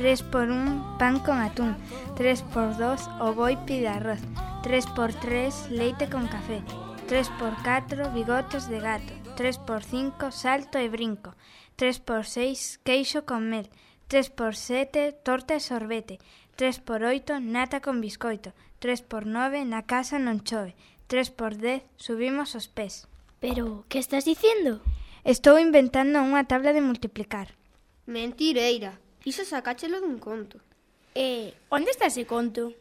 3x1 pan con atún, 3x2 o boi pide arroz, 3x3 leite con café, 3x4 bigotes de gato, 3x5 salto e brinco, 3x6 queixo con mel, 3x7 torta e sorbete, 3x8 nata con biscoito, 3x9 na casa non chove, 3x10 subimos os pés. Pero, que estás dicindo? Estou inventando unha tabla de multiplicar. Mentireira, iso sacáchelo dun conto. Onde está ese conto?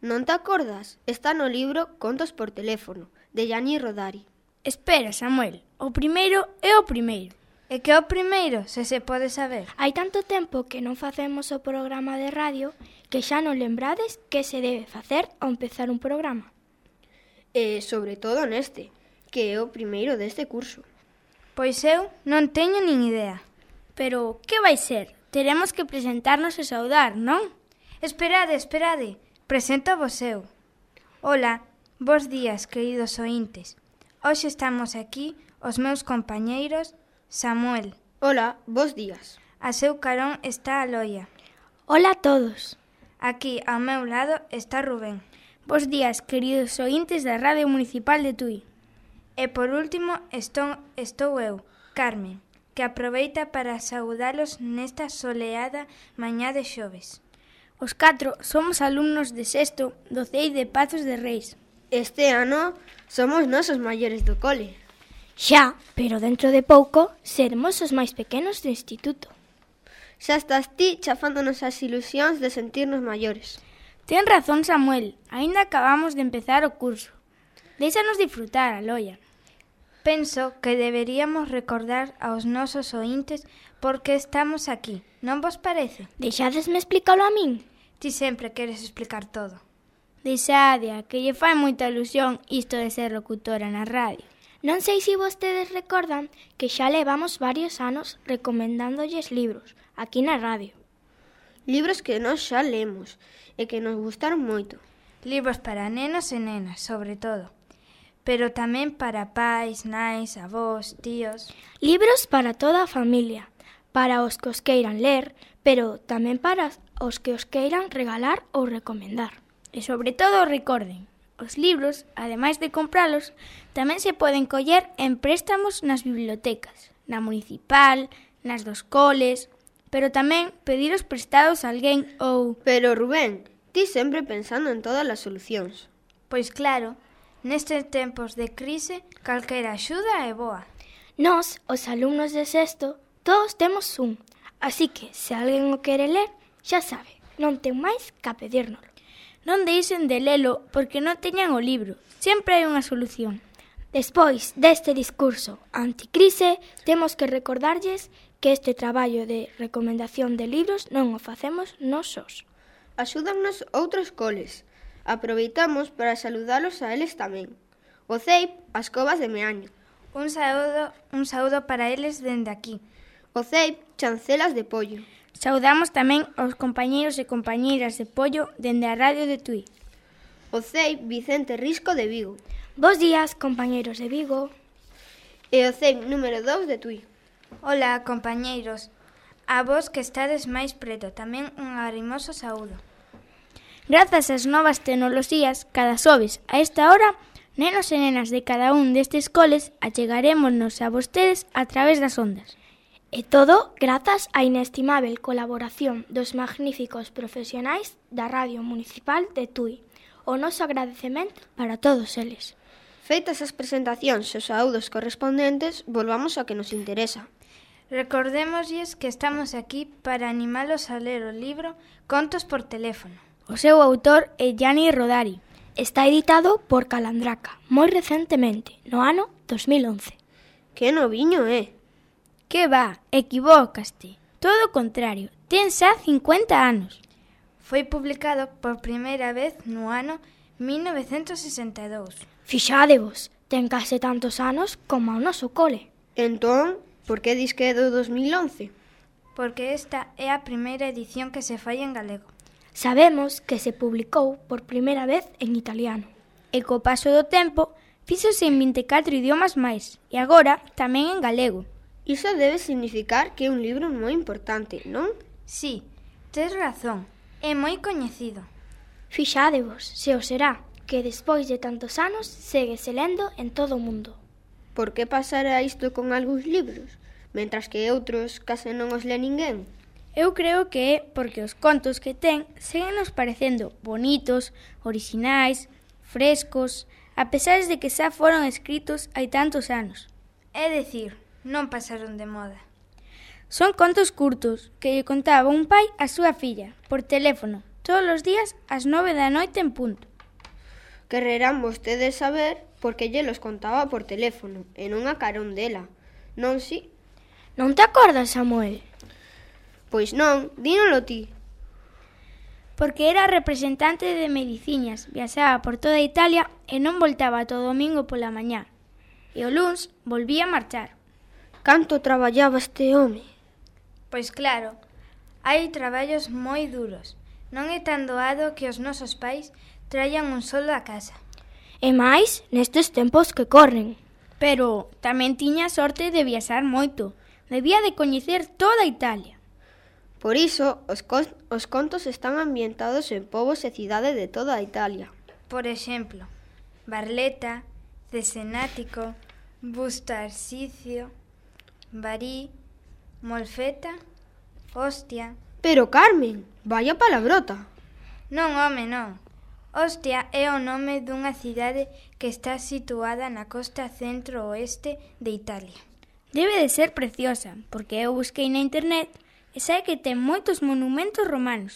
Non te acordas? Está no libro Contos por teléfono, de Gianni Rodari. Espera, Samuel, o primeiro é o primeiro. E que o primeiro, se pode saber? Hai tanto tempo que non facemos o programa de radio que xa non lembrades que se debe facer ao empezar un programa. E sobre todo neste, que é o primeiro deste curso. Pois eu non teño nin idea. Pero que vai ser? Teremos que presentarnos e saudar, non? Esperade, preséntovos eu. Ola, bos días, queridos ointes. Hoxe estamos aquí os meus compañeiros Samuel. Ola, bos días. A seu carón está a Loia. Ola a todos. Aquí, ao meu lado, está Rubén. Bos días, queridos ointes da Radio Municipal de Tui. E por último estou eu, Carmen, que aproveita para saudalos nesta soleada mañá de xoves. Os 4 somos alumnos de sexto do CEI de Pazos de Reis. Este ano somos nosos maiores do cole. Xa, pero dentro de pouco seremos os máis pequenos do instituto. Xa estás ti chafándonos as ilusións de sentirnos maiores. Ten razón, Samuel, aínda acabamos de empezar o curso. Déixanos disfrutar, Aloia. Penso que deberíamos recordar aos nosos ointes por que estamos aquí, non vos parece? Deixadesme explicalo a min? Ti sempre queres explicar todo. Deixadia, que lle fai moita ilusión isto de ser locutora na radio. Non sei se vostedes recordan que xa levamos varios anos recomendándoles libros aquí na radio. Libros que nós xa lemos e que nos gustaron moito. Libros para nenos e nenas, sobre todo. Pero tamén para pais, nais, avós, tíos. Libros para toda a familia, para os que os queiran ler, pero tamén para os que os queiran regalar ou recomendar. E sobre todo recorden, os libros, ademais de compralos, tamén se poden coller en préstamos nas bibliotecas, na municipal, nas dos coles, pero tamén pediros prestados a alguén ou... Pero Rubén, ti sempre pensando en todas as solucións. Pois claro, nestes tempos de crise, calquera axuda é boa. Nós, os alumnos de sexto, todos temos un, así que se alguén o quere ler, xa sabe, non ten máis que pedírnoslo. Non deixen de lelo porque non teñan o libro. Sempre hai unha solución. Despois deste discurso anticrise, temos que recordarlles que este traballo de recomendación de libros non o facemos nós sós. Axúdannos outros coles. Aproveitamos para saludalos a eles tamén. O CEIP, as Covas de Meaño. Un saúdo para eles dende aquí. O CEIP, Chancelas de Pollo. Saudamos tamén aos compañeiros e compañeiras de Pollo dende a Radio de Tui. O CEIP Vicente Risco de Vigo. Bos días, compañeiros de Vigo. E o CEIP número 2 de Tui. Ola, compañeiros. A vos que estades máis preto, tamén un arimoso saúdo. Grazas ás novas tecnoloxías, cada xoves a esta hora, nenos e nenas de cada un destes coles achegarémonos a vostedes a través das ondas. E todo grazas á inestimable colaboración dos magníficos profesionais da Radio Municipal de Tui. O noso agradecemento para todos eles. Feitas as presentacións e os saúdos correspondentes, volvamos ao que nos interesa. Recordémoslles que estamos aquí para animalos a ler o libro Contos por teléfono. O seu autor é Gianni Rodari. Está editado por Calandraca, moi recentemente, no ano 2011. Que noviño é! Que va, equivócaste. Todo o contrario, ten xa 50 anos. Foi publicado por primeira vez no ano 1962. Fixádevos, ten case tantos anos como o noso cole. Entón, por que dis que é do 2011? Porque esta é a primeira edición que se fai en galego. Sabemos que se publicou por primeira vez en italiano. E co paso do tempo, fíxose en 24 idiomas máis, e agora tamén en galego. Iso debe significar que é un libro moi importante, non? Sí, tes razón, é moi coñecido. Fixádevos, se o será, que despois de tantos anos séguese lendo en todo o mundo. Por que pasará isto con algúns libros, mentras que outros case non os le ninguén? Eu creo que é porque os contos que ten seguen nos parecendo bonitos, orixinais, frescos, a pesar de que xa foron escritos hai tantos anos. É dicir, non pasaron de moda. Son contos curtos que lle contaba un pai a súa filla, por teléfono, todos os días ás 9 da noite en punto. Quererán vostedes saber por que lle los contaba por teléfono e non a carón dela, non si? Non te acordas, Samuel? Pois non, dínolo ti. Porque era representante de mediciñas, viaxaba por toda Italia e non voltaba todo domingo pola mañá. E o luns volvía a marchar. Canto traballaba este home? Pois claro, hai traballos moi duros. Non é tan doado que os nosos pais traian un soldo a casa. E máis nestes tempos que corren. Pero tamén tiña sorte de viaxar moito. Debía de coñecer toda Italia. Por iso, os contos están ambientados en povos e cidades de toda Italia. Por exemplo, Barletta, Cesenático, Busto Arsizio, Bari, Molfeta, Ostia... Pero, Carmen, vaya palabrota. Non, home, non. Ostia é o nome dunha cidade que está situada na costa centro-oeste de Italia. Debe de ser preciosa, porque eu busquei na internet e sei que ten moitos monumentos romanos.